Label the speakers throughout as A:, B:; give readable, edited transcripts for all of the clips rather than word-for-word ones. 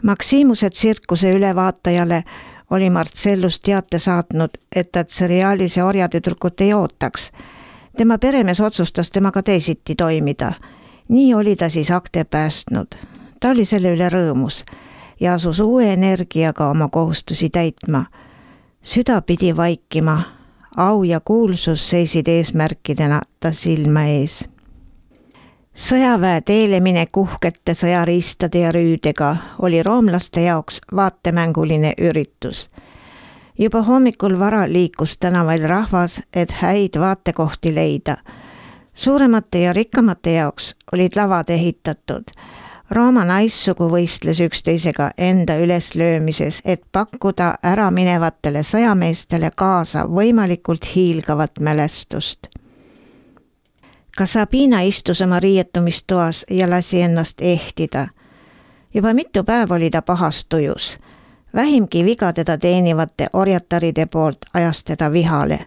A: Maximuse tsirkuse ülevaatajale oli Marcellus teate saatnud, et ta seriaalise orjatüdrukut ei ootaks. Tema peremees otsustas temaga teisiti toimida. Nii oli ta siis akte päästnud. Ta oli selle üle rõõmus ja asus uue energiaga oma kohustusi täitma. Süda pidi vaikima, au ja kuulsus seisid eesmärkidena ta silma ees. Sõjaväe teele minek uhkete sõjariistade ja rüüdega oli roomlaste jaoks vaatemänguline üritus. Juba hommikul vara liikus tänavail rahvas, et häid vaatekohti leida. Suuremate ja rikkamate jaoks olid lavad ehitatud. Rooma naissugu võistles üksteisega enda üleslöömises, et pakkuda ära minevatele sõjameestele kaasa võimalikult hiilgavat mälestust. Ka Sabina istus oma riietumistoas ja lasi ennast ehtida. Juba mitu päev oli ta pahas tujus. Vähimgi viga teda teenivate orjataride poolt ajas teda vihale.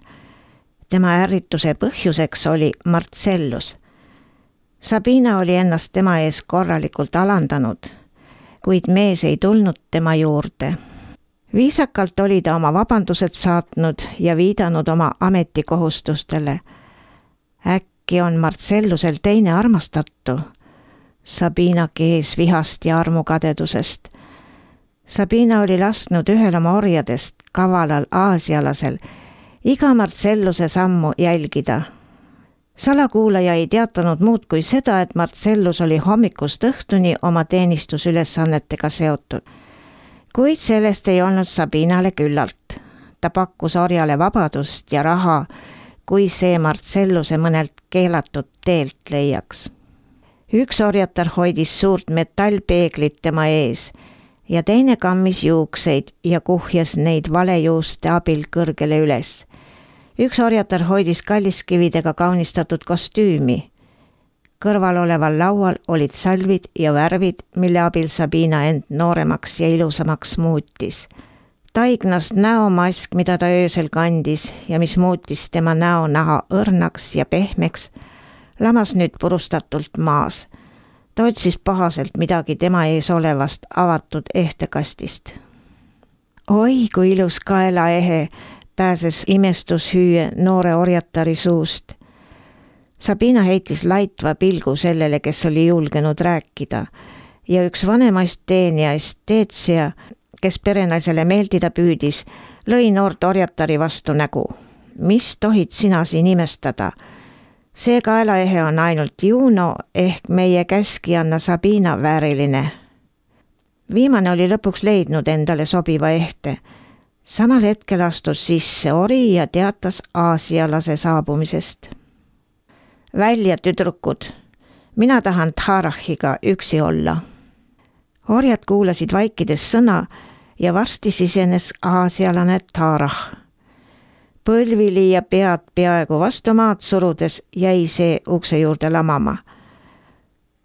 A: Tema ärrituse põhjuseks oli Marcellus. Sabina oli ennast tema ees korralikult alandanud, kuid mees ei tulnud tema juurde. Viisakalt oli ta oma vabandused saatnud ja viidanud oma ametikohustustele. Äkki on Marcellusel teine armastatu? Sabina kees vihast ja armukadedusest. Sabina oli lasknud ühel oma orjadest, kavalal aasialasel, iga Marcelluse sammu jälgida. Salakuulaja ei teatanud muud kui seda, et Marcellus oli hommikust õhtuni oma teenistusülesannetega seotud. Kuid sellest ei olnud Sabinale küllalt. Ta pakkus orjale vabadust ja raha, kui see Marcelluse mõnelt keelatud teelt leiaks. Üks orjatar hoidis suurt metallpeeglit tema ees ja teine kammis juukseid ja kuhjas neid valejuuste abil kõrgele üles. Üks orjatar hoidis kalliskividega kaunistatud kostüümi. Kõrval oleval laual olid salvid ja värvid, mille abil Sabina end nooremaks ja ilusamaks muutis. Taignas näomask, mida ta öösel kandis ja mis muutis tema näonaha õrnaks ja pehmeks, lamas nüüd purustatult maas. Ta otsis pahaselt midagi tema ees olevast avatud ehtekastist. Oi, kui ilus kaelaehe pääses imestushüüe noore orjatari suust. Sabina heitis laitva pilgu sellele, kes oli julgenud rääkida, ja üks vanemaist teenijaist, Teetsia, kes perenaisele meeldida püüdis, lõi noort orjatari vastu nägu. Mis tohid sina siin imestada? See kaelaehe on ainult Juno ehk meie käskijanna Sabina vääriline. Viimane oli lõpuks leidnud endale sobiva ehte. Samal hetkel astus sisse ori ja teatas aasialase saabumisest. Välja, tüdrukud, mina tahan Tarahiga üksi olla. Orjad kuulasid vaikides sõna ja varsti sisenes aasialane Tarah. Põlvili ja pead peaaegu vastu maad surudes jäi see ukse juurde lamama.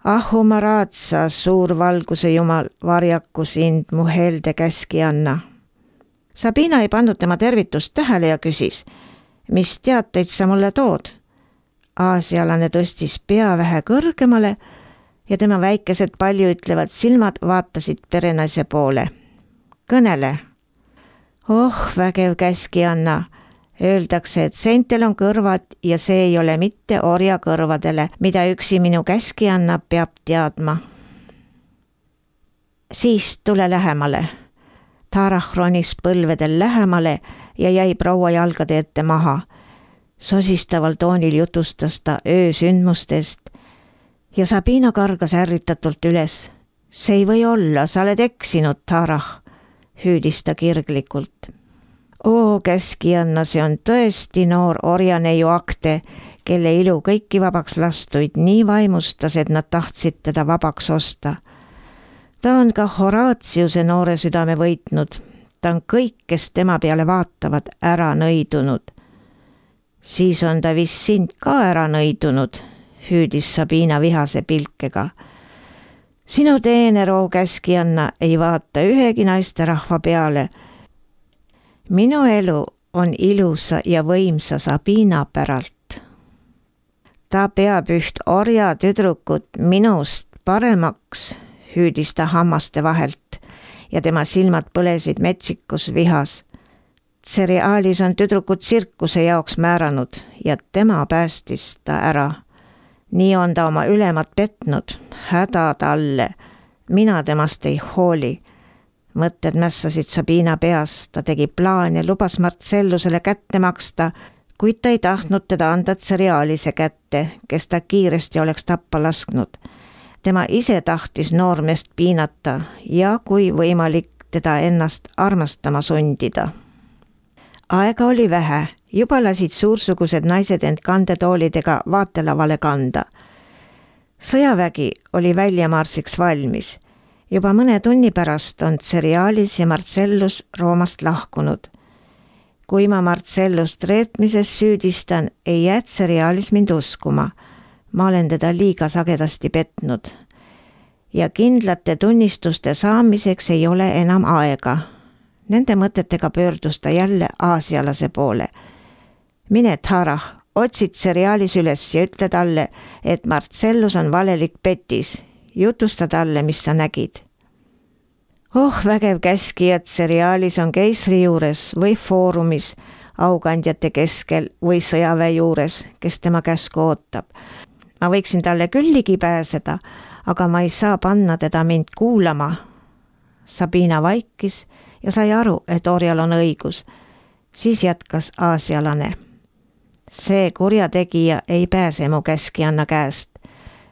A: Ahumaraatsa, suur valguse jumal, varjaku sind mu helde käskijanna. Sabina ei pannud tema tervitust tähele ja küsis, mis teateid sa mulle tood? Aasialane tõstis pea vähe kõrgemale ja tema väikesed paljuütlevad silmad vaatasid perenaise poole. Kõnele. Oh, vägev käskijanna. Öeldakse, et seintel on kõrvad ja see ei ole mitte orja kõrvadele, mida üksi minu käskijanna peab teadma. Siis tule lähemale. Tarah ronis põlvedel lähemale ja jäi proua jalgade ette maha. Sosistaval toonil jutustas ta öösündmustest ja Sabina kargas ärritatult üles. See ei või olla, sa oled eksinud, Tarah, hüüdis ta kirglikult. Oo, käskijanna, see on tõesti noor orjaneiu akte, kelle ilu kõiki vabaks lastuid nii vaimustas, et nad tahtsid teda vabaks osta. Ta on ka Horaatiuse noore südame võitnud. Ta on kõik, kes tema peale vaatavad, ära nõidunud. Siis on ta vist sind ka ära nõidunud, hüüdis Sabina vihase pilkega. Sinu teener, oo käskijanna, ei vaata ühegi naisterahva peale. Minu elu on ilusa ja võimsa Sabina päralt. Ta peab üht orja tüdrukut minust paremaks, hüüdis ta hammaste vahelt ja tema silmad põlesid metsikus vihas. Cerealis on tüdrukud tsirkuse jaoks määranud ja tema päästis ta ära. Nii on ta oma ülemat petnud, häda talle. Mina temast ei hooli. Mõtted mässasid Sabina peas, ta tegi plaan ja lubas Marcellusele kätte maksta, kuid ta ei tahtnud teda anda Cerealise kätte, kes ta kiiresti oleks tappa lasknud. Tema ise tahtis noormeest piinata ja kui võimalik teda ennast armastama sundida. Aega oli vähe, juba lasid suursugused naised end kandetoolidega vaatelavale kanda. Sõjavägi oli väljamarsiks valmis. Juba mõne tunni pärast on Cerealis ja Marcellus Roomast lahkunud. Kui ma Marcellust reetmises süüdistan, ei jää Cerealis mind uskuma. Ma olen teda liiga sagedasti petnud. Ja kindlate tunnistuste saamiseks ei ole enam aega. Nende mõtetega pöördus ta jälle aasialase poole. Mine, Tarah, otsid Cerealis üles ja ütle talle, et Marcellus on valelik petis. Jutusta talle, mis sa nägid. Vägev käskija, et Cerealis on keisri juures või foorumis, aukandjate keskel või sõjaväe juures, kes tema käsku ootab. Ma võiksin talle küll ligi pääseda, aga ma ei saa panna teda mind kuulama. Sabina vaikis ja sai aru, et orjal on õigus. Siis jätkas aasialane. See kurjategija ei pääse mu käskijanna käest.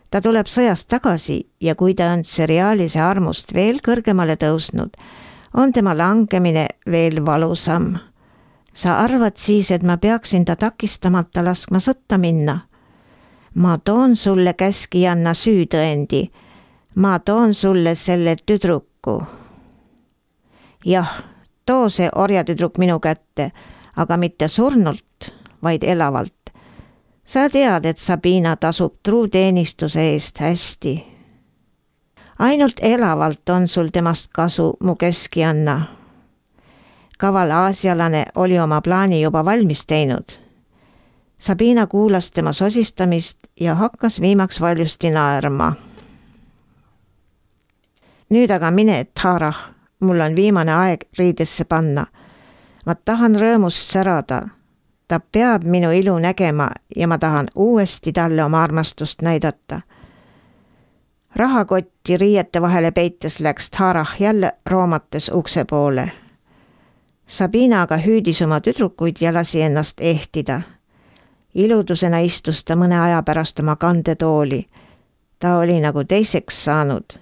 A: Ta tuleb sõjast tagasi ja kui ta on Cerealise armust veel kõrgemale tõusnud, on tema langemine veel valusam. Sa arvad siis, et ma peaksin ta takistamata laskma sõtta minna? Ma toon sulle käskijanna süütõendi. Ma toon sulle selle tüdruku. Jah, too see orjatüdruk minu kätte, aga mitte surnult, vaid elavalt. Sa tead, et Sabina tasub truuteenistuse eest hästi. Ainult elavalt on sul temast kasu, mu keskianna. Kaval aasialane oli oma plaani juba valmis teinud. Sabina kuulas tema sosistamist ja hakkas viimaks valjusti naerma. Nüüd aga mine, Tarah, mul on viimane aeg riidesse panna. Ma tahan rõõmust särada. Ta peab minu ilu nägema ja ma tahan uuesti talle oma armastust näidata. Rahakotti riiete vahele peites läks Tarah jälle roomates ukse poole. Sabina aga hüüdis oma tüdrukuid ja lasi ennast ehtida. Iludusena istus ta mõne aja pärast oma kandetooli. Ta oli nagu teiseks saanud.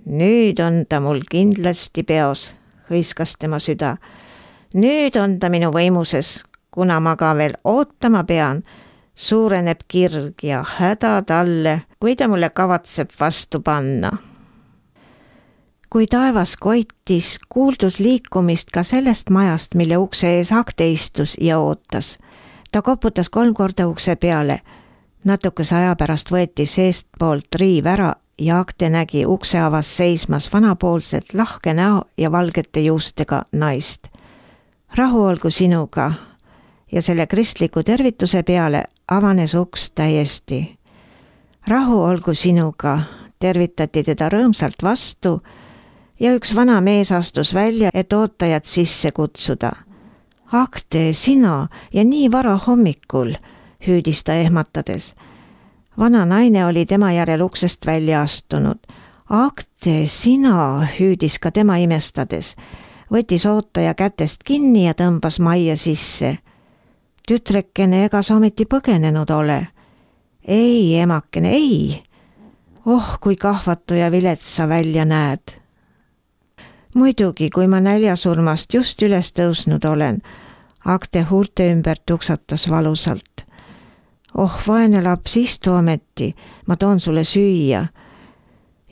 A: Nüüd on ta mul kindlasti peos, hõiskas tema süda. Nüüd on ta minu võimuses. Kuna ma ka veel ootama pean, suureneb kirg ja häda talle, kui ta mulle kavatseb vastu panna. Kui taevas koitis, kuuldus liikumist ka sellest majast, mille ukse ees Akte istus ja ootas. Ta koputas 3 korda ukse peale. Natukese aja pärast võeti seestpoolt riiv ära ja Akte nägi ukse avas seismas vanapoolset lahke näo ja valgete juustega naist. Rahu olgu sinuga. Ja selle kristliku tervituse peale avanes uks täiesti. Rahu olgu sinuga, tervitati teda rõõmsalt vastu ja üks vana mees astus välja, et ootajad sisse kutsuda. Akte, sina ja nii vara hommikul, hüüdis ta ehmatades. Vana naine oli tema järel uksest välja astunud. Akte, sina, hüüdis ka tema imestades. Võttis ootaja kätest kinni ja tõmbas majja sisse. Tütrekene, ega sa ometi põgenenud ole? Ei, emakene, ei. Kui kahvatu ja vilets sa välja näed. Muidugi, kui ma näljasurmast just üles tõusnud olen, Akte huulte ümber tuksatas valusalt. Vaene laps, istu ometi, ma toon sulle süüa.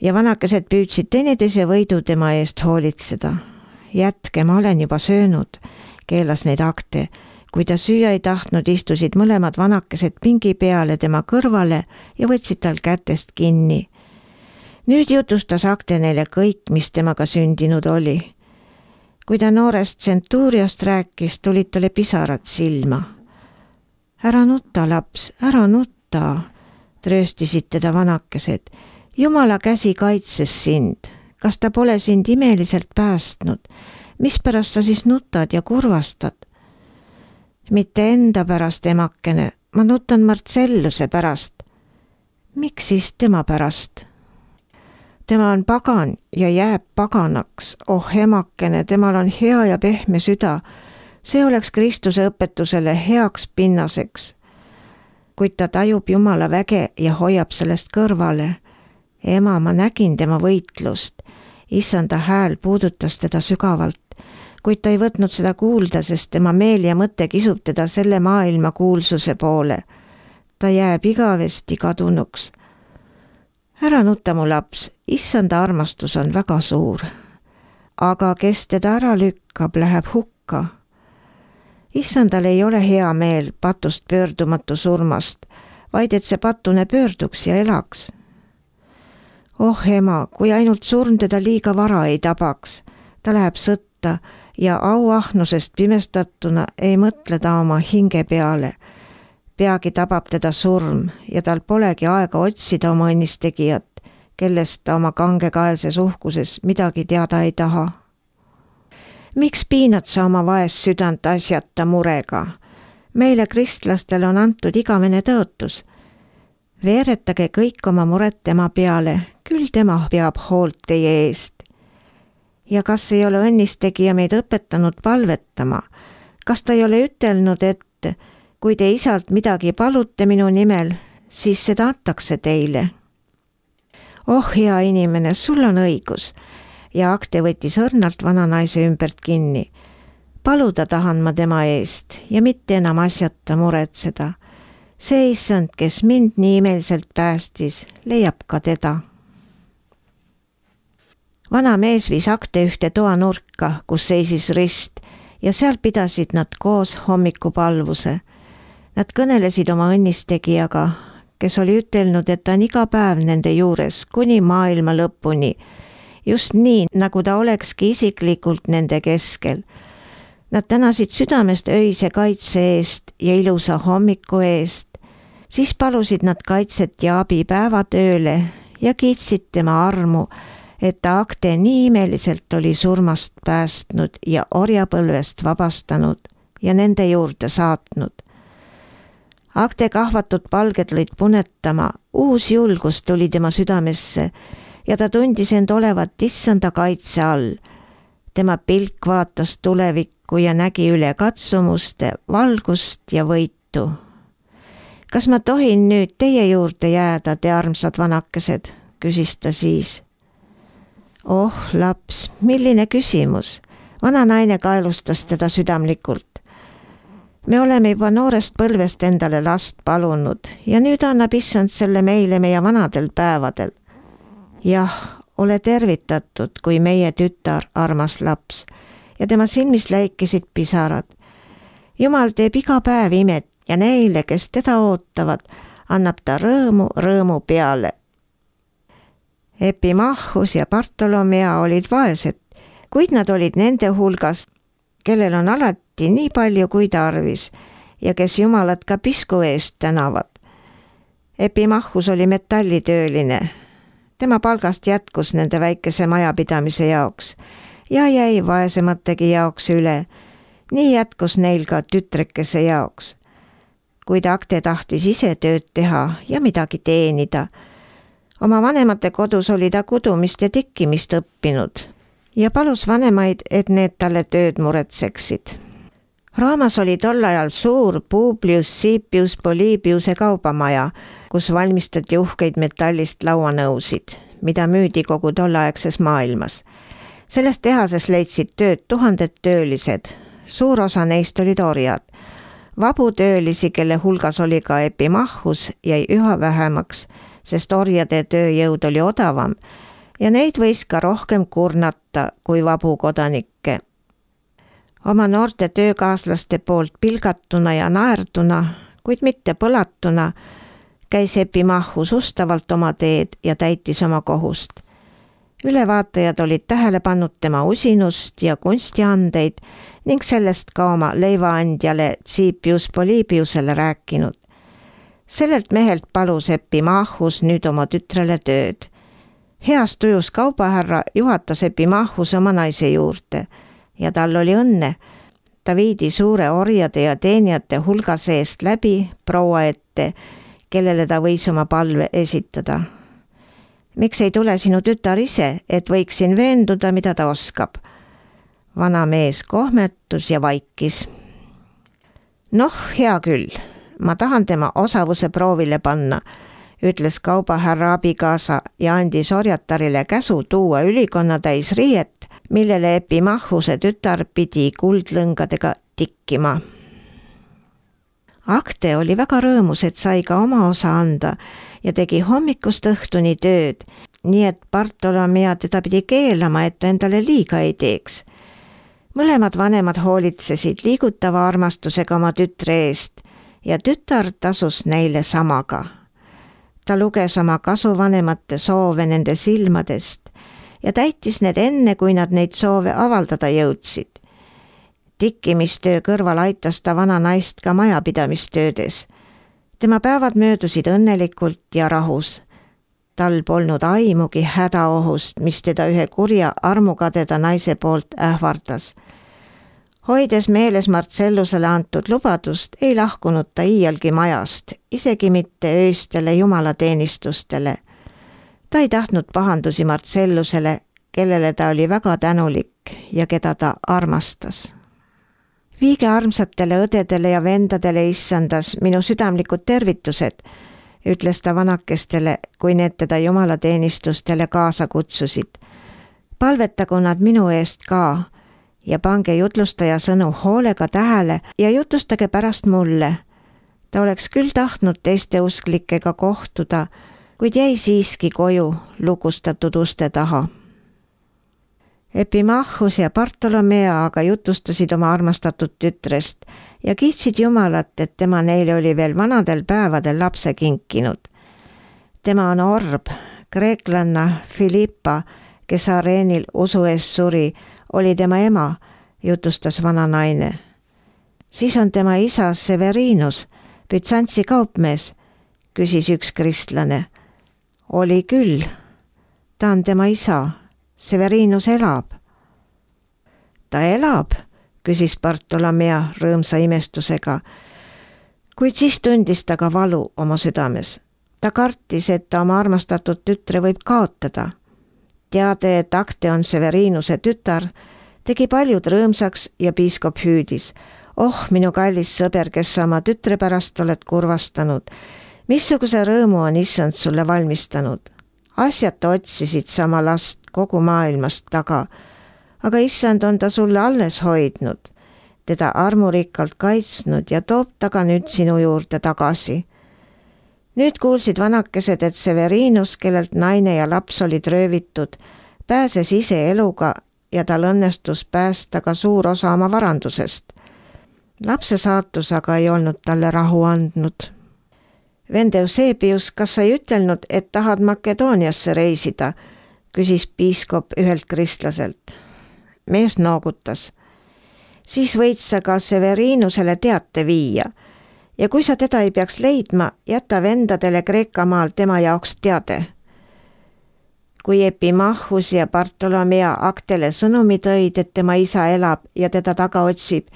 A: Ja vanakesed püüdsid teineteise võidu tema eest hoolitseda. Jätke, ma olen juba söönud, keelas neid Akte. Kui ta süüa ei tahtnud, istusid mõlemad vanakesed pingi peale tema kõrvale ja võtsid tal kätest kinni. Nüüd jutustas Akte neile kõik, mis temaga sündinud oli. Kui ta noorest Centuriast rääkis, tulid talle pisarad silma. Ära nutta, laps, ära nutta, trööstisid teda vanakesed. Jumala käsi kaitses sind. kas ta pole sind imeliselt päästnud? Mispärast sa siis nutad ja kurvastad? Mitte enda pärast, emakene, ma nutan Marcelluse pärast. Miks siis tema pärast? Tema on pagan ja jääb paganaks. Oh emakene, temal on hea ja pehme süda. See oleks Kristuse õpetusele heaks pinnaseks. Kuid ta tajub Jumala väge ja hoiab sellest kõrvale. Ema, ma nägin tema võitlust. Issanda hääl puudutas teda sügavalt, kuid ta ei võtnud seda kuulda, sest tema meel ja mõte kisub teda selle maailma kuulsuse poole. Ta jääb igavesti kadunuks. Ära nuta, mu laps, issanda armastus on väga suur. Aga kes teda ära lükkab, läheb hukka. Issandal ei ole hea meel patust pöördumatu surmast, vaid et see patune pöörduks ja elaks. Oh ema, kui ainult surm teda liiga vara ei tabaks, ta läheb sõtta ja auahnusest pimestatuna ei mõtle ta oma hinge peale. Peagi tabab teda surm ja tal polegi aega otsida oma õnnistegijat, kellest ta oma kangekaelses uhkuses midagi teada ei taha. Miks piinad sa oma vaest südant asjata murega? Meile kristlastele on antud igavene tõotus. Veeretage kõik oma muret tema peale, küll tema peab hoolt teie eest. Ja kas ei ole õnnistegija meid õpetanud palvetama? Kas ta ei ole ütelnud, et kui te isalt midagi palute minu nimel, siis seda antakse teile? Oh hea inimene, sul on õigus. Ja Akte võttis õrnalt vana naise ümbert kinni. Paluda tahan ma tema eest ja mitte enam asjata muretseda. See issand, kes mind nii imeliselt päästis, leiab ka teda. Vana mees viis Akte ühte toanurka, kus seisis rist ja seal pidasid nad koos hommikupalvuse. Nad kõnelesid oma õnnistegijaga, kes oli ütelnud, et ta on iga päev nende juures kuni maailma lõpuni, just nii, nagu ta olekski isiklikult nende keskel. Nad tänasid südamest öise kaitse eest ja ilusa hommiku eest. Siis palusid nad kaitset ja abi päevatööle ja kiitsid tema armu, et ta Akte nii imeliselt oli surmast päästnud ja orjapõlvest vabastanud ja nende juurde saatnud. Akte kahvatud palged lõid punetama, uus julgus tuli tema südamesse ja ta tundis end olevat issanda kaitse all. Tema pilk vaatas tulevikku ja nägi üle katsumuste, valgust ja võitu. Kas ma tohin nüüd teie juurde jääda, te armsad vanakesed, küsis ta siis. Oh, laps, milline küsimus. Vana naine kaelustas teda südamlikult. Me oleme juba noorest põlvest endale last palunud ja nüüd annab issand selle meile meie vanadel päevadel. Jah, ole tervitatud, kui meie tütar, armas laps, ja tema silmis läikisid pisarad. Jumal teeb iga päev imet ja neile, kes teda ootavad, annab ta rõõmu peale. Epimachus ja Bartolomea olid vaesed, kuid nad olid nende hulgast, kellel on alati nii palju kui tarvis ja kes Jumalat ka pisku eest tänavad. Epimachus oli metallitööline. Tema palgast jätkus nende väikese majapidamise jaoks ja jäi vaesemategi jaoks üle. Nii jätkus neil ka tütrekese jaoks. Kuid Akte tahtis ise tööd teha ja midagi teenida. Oma vanemate kodus oli ta kudumist ja tikkimist õppinud ja palus vanemaid, et need talle tööd muretseksid. Roomas oli tol ajal suur Publius Cipius Polybiuse kaubamaja, kus valmistati uhkeid metallist lauanõusid, mida müüdi kogu tollaegses maailmas. Selles tehases leidsid tööd 1000 töölised, suur osa neist olid orjad. Vabu töölisi, kelle hulgas oli ka Epimachus, jäi üha vähemaks, sest orjade tööjõud oli odavam ja neid võis ka rohkem kurnata kui vabu kodanikke. Oma noorte töökaaslaste poolt pilgatuna ja naerduna, kuid mitte põlatuna, käis Epimachus ustavalt oma teed ja täitis oma kohust. Ülevaatajad olid tähele pannud tema usinust ja kunstiandeid ning sellest ka oma leivaandjale Cipius Polybiusele rääkinud. Sellelt mehelt palus Epimachus nüüd oma tütrele tööd. Heas tujus kaubahärra juhatas Epimachus oma naise juurde ja tal oli õnne. Ta viidi suure orjade ja teenijate hulga seest läbi proua ette, kellele ta võis oma palve esitada. Miks ei tule sinu tütar ise, et võiksin veenduda, mida ta oskab? Vana mees kohmetus ja vaikis. Noh, hea küll, ma tahan tema osavuse proovile panna, ütles kaubahärra abikaasa ja andis orjatarile käsu tuua ülikonna täis riiet, millele Epimachuse tütar pidi kuldlõngadega tikkima. Akte oli väga rõõmus, et sai ka oma osa anda ja tegi hommikust õhtuni tööd, nii et Bartolomea teda pidi keelama, et ta endale liiga ei teeks. Mõlemad vanemad hoolitsesid liigutava armastusega oma tütre eest ja tütar tasus neile samaga. Ta luges oma kasuvanemate soove nende silmadest ja täitis need enne, kui nad neid soove avaldada jõudsid. Tikkimistöö kõrval aitas ta vana naist ka majapidamistöödes. Tema päevad möödusid õnnelikult ja rahus. Tal polnud aimugi hädaohust, mis teda ühe kurja armukadeda naise poolt ähvardas. Hoides meeles Marcellusele antud lubadust, ei lahkunud ta iialgi majast, isegi mitte ööstele jumalateenistustele. Ta ei tahtnud pahandusi Marcellusele, kellele ta oli väga tänulik ja keda ta armastas. Viige armsatele õdedele ja vendadele issandas minu südamlikud tervitused, ütles ta vanakestele, kui need teda jumalateenistustele kaasa kutsusid. Palvetagu nad minu eest ka ja pange jutlustaja sõnu hoolega tähele ja jutustage pärast mulle. Ta oleks küll tahtnud teiste usklikega kohtuda, kuid jäi siiski koju lukustatud uste taha. Epimachus ja Bartolomea aga jutustasid oma armastatud tütrest ja kiitsid Jumalat, et tema neile oli veel vanadel päevadel lapse kinkinud. Tema on orb, kreeklanna Filippa, kes areenil usu eest suri, oli tema ema, jutustas vana naine. Siis on tema isa Severinus, Bütsantsi kaupmees, küsis üks kristlane. Oli küll, ta on tema isa. Severinus elab. Ta elab, küsis Bartolomea rõõmsa imestusega, kuid siis tundis ta ka valu oma südames. Ta kartis, et ta oma armastatud tütre võib kaotada. Teade, et Akte on Severinuse tütar, tegi paljud rõõmsaks ja piiskop hüüdis. Oh, minu kallis sõber, kes sa oma tütre pärast oled kurvastanud. Missuguse rõõmu on issand sulle valmistanud? Asjata otsisid sama last kogu maailmast taga, aga issand on ta sulle alles hoidnud, teda armurikkalt kaitsnud ja toob taga nüüd sinu juurde tagasi. Nüüd kuulsid vanakesed, et Severinus, kellelt naine ja laps olid röövitud, pääses ise eluga ja tal õnnestus päästa ka suur osa oma varandusest. Lapse saatus aga ei olnud talle rahu andnud. Vend Eusebius, kas sa ei ütelnud, et tahad Makedooniasse reisida, küsis piiskop ühelt kristlaselt. Mees noogutas. Siis võid sa ka Severinusele teate viia ja kui sa teda ei peaks leidma, jäta vendadele Kreeka maal tema jaoks teade. Kui Epimachus ja Bartolomea Aktele sõnumi tõid, et tema isa elab ja teda taga otsib,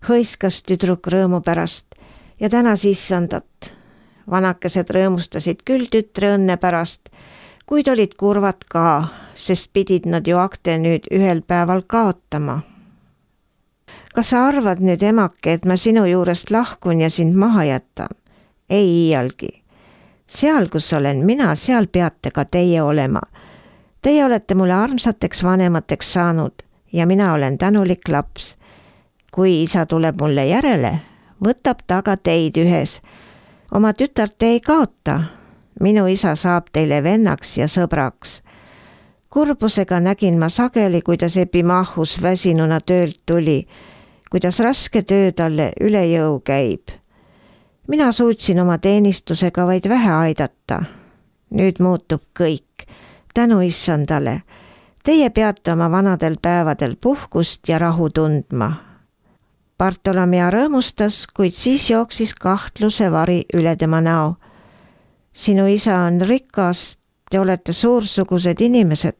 A: hõiskas tüdruk rõõmu pärast ja tänas issandat. Vanakesed rõõmustasid küll tütre õnne pärast, kuid olid kurvad ka, sest pidid nad ju Akte nüüd ühel päeval kaotama. Kas sa arvad nüüd, emake, et ma sinu juurest lahkun ja sind maha jätan? Ei iialgi. Seal, kus olen mina, seal peate ka teie olema. Teie olete mulle armsateks vanemateks saanud ja mina olen tänulik laps. Kui isa tuleb mulle järele, võtab ta ka teid ühes. Oma tütart ei kaota. Minu isa saab teile vennaks ja sõbraks. Kurbusega nägin ma sageli, kuidas Epimachus väsinuna töölt tuli, kuidas raske töö talle üle jõu käib. Mina suutsin oma teenistusega vaid vähe aidata. Nüüd muutub kõik. Tänu issandale. Teie peate oma vanadel päevadel puhkust ja rahu tundma. Bartolomea rõõmustas, kuid siis jooksis kahtluse vari üle tema näo. Sinu isa on rikas, te olete suursugused inimesed.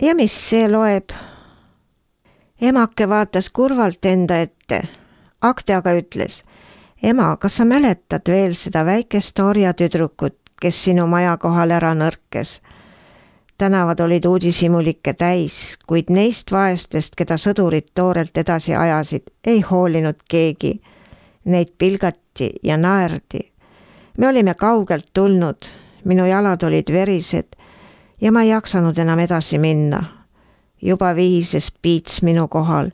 A: Ja mis see loeb? Emake vaatas kurvalt enda ette. Akte aga ütles, ema, kas sa mäletad veel seda väikest orjatüdrukut, kes sinu maja kohal ära nõrkes? Tänavad olid uudishimulikke täis, kuid neist vaestest, keda sõdurid toorelt edasi ajasid, ei hoolinud keegi. Neid pilgati ja naerdi. Me olime kaugelt tulnud, minu jalad olid verised ja ma ei jaksanud enam edasi minna. Juba vihises piits minu kohal,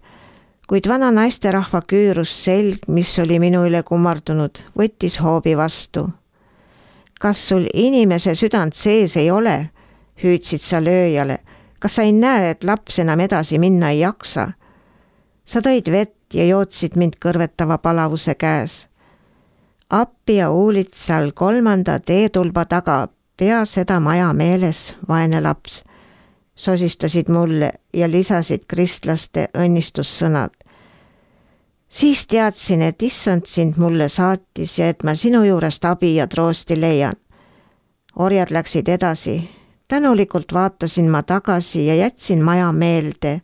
A: kuid vana naisterahva küürus selg, mis oli minu üle kummardunud, võttis hoobi vastu. Kas sul inimese südant sees ei ole? Hüüdsid sa lööjale. Kas sa ei näe, et laps enam edasi minna ei jaksa? Sa tõid vett ja jootsid mind kõrvetava palavuse käes. Appi ja Uulitsal 3. teetulba taga, pea seda maja meeles, vaene laps. Sosistasid mulle ja lisasid kristlaste õnnistussõnad. Siis teadsin, et issand sind mulle saatis ja et ma sinu juurest abi ja troosti leian. Orjad läksid edasi. Tänulikult vaatasin ma tagasi ja jätsin maja meelde,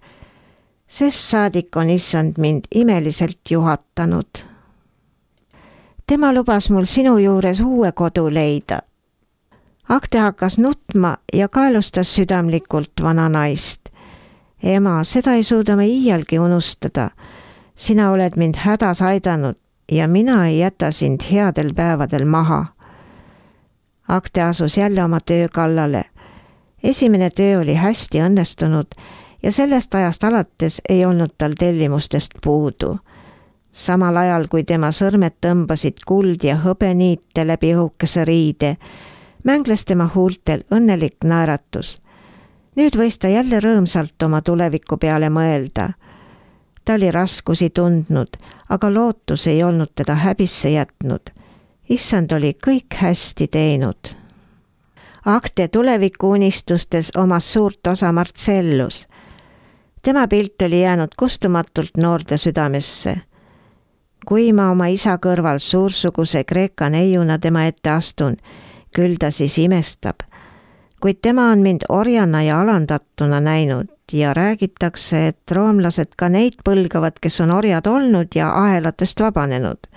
A: sest saadik on issand mind imeliselt juhatanud. Tema lubas mul sinu juures uue kodu leida. Akte hakkas nutma ja kaelustas südamlikult vana naist. Ema, seda ei suuda ma iialgi unustada. Sina oled mind hädas aidanud ja mina ei jäta sind headel päevadel maha. Akte asus jälle oma töö kallale. Esimene töö oli hästi õnnestunud ja sellest ajast alates ei olnud tal tellimustest puudu. Samal ajal, kui tema sõrmed tõmbasid kuld ja hõbeniite läbi õhukese riide, mängles tema huultel õnnelik naeratus. Nüüd võis ta jälle rõõmsalt oma tuleviku peale mõelda. Ta oli raskusi tundnud, aga lootus ei olnud teda häbisse jätnud. Issand oli kõik hästi teinud. Akte tulevikuunistustes omas suurt osa Marcellus. Tema pilt oli jäänud kustumatult noorde südamesse. Kui ma oma isa kõrval suursuguse Kreeka neiuna tema ette astun, küll ta siis imestab. Kuid tema on mind orjana ja alandatuna näinud ja räägitakse, et roomlased ka neid põlgavad, kes on orjad olnud ja ahelatest vabanenud.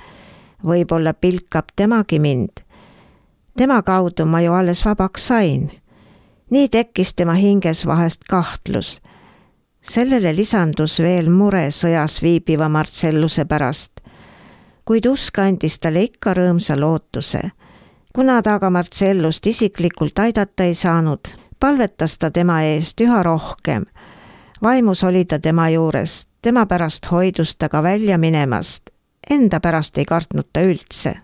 A: Võib-olla pilkab temagi mind. Tema kaudu ma ju alles vabaks sain. Nii tekkis tema hinges vahest kahtlus. Sellele lisandus veel mure sõjas viibiva Marcelluse pärast. Kuid usk andis talle ikka rõõmsa lootuse. Kuna ta aga Marcellust isiklikult aidata ei saanud, palvetas ta tema eest üha rohkem. Vaimus oli ta tema juures, tema pärast hoidus ta ka välja minemast. Enda pärast ei kartnud ta üldse.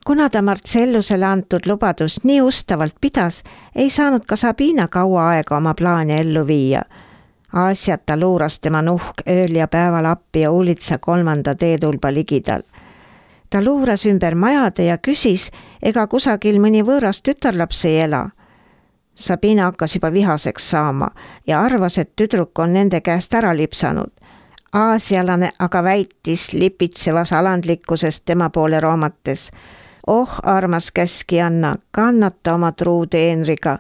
A: Kuna ta Marcellusele antud lubadust nii ustavalt pidas, ei saanud ka Sabina kaua aega oma plaani ellu viia. Aasiata luuras tema nuhk ööl ja päeval Appi ja Uulitsa 3. teetulba ligidal. Ta luuras ümber majade ja küsis, ega kusagil mõni võõras tütarlaps ei ela. Sabina hakkas juba vihaseks saama ja arvas, et tüdruk on nende käest ära lipsanud. Aasialane aga väitis lipitsevas alandlikkusest tema poole roomates. Oh, armas käskijanna, kannata oma truu teenriga.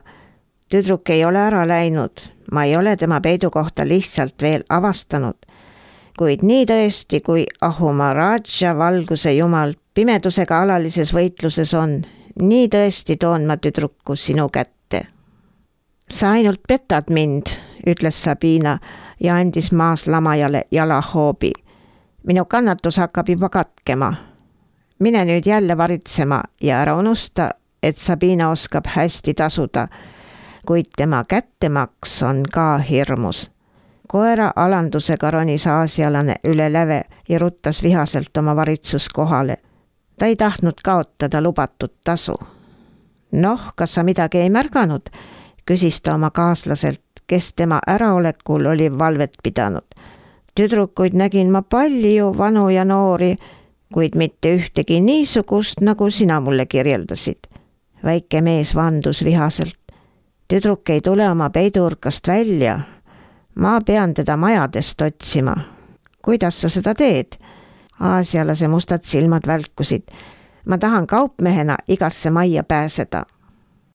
A: Tüdruk ei ole ära läinud, ma ei ole tema peidukohta lihtsalt veel avastanud. Kuid nii tõesti, kui Ahumaraja valguse jumal pimedusega alalises võitluses on, nii tõesti toon ma tüdruku sinu kätte. Sa ainult petad mind, ütles Sabina ja andis maas lamajale jalahoobi. Minu kannatus hakkab juba katkema. Mine nüüd jälle varitsema ja ära unusta, et Sabina oskab hästi tasuda, kuid tema kättemaks on ka hirmus. Koera alandusega ronis aasialane üle läve ja ruttas vihaselt oma varitsuskohale. Ta ei tahtnud kaotada lubatud tasu. Noh, kas sa midagi ei märganud, küsis ta oma kaaslaselt, kes tema äraolekul oli valvet pidanud. Tüdrukuid nägin ma palju, vanu ja noori, kuid mitte ühtegi niisugust, nagu sina mulle kirjeldasid. Väike mees vandus vihaselt. Tüdruk ei tule oma peiduurkast välja. Ma pean teda majadest otsima. Kuidas sa seda teed? Aasialase mustad silmad välkusid. Ma tahan kaupmehena igasse majja pääseda.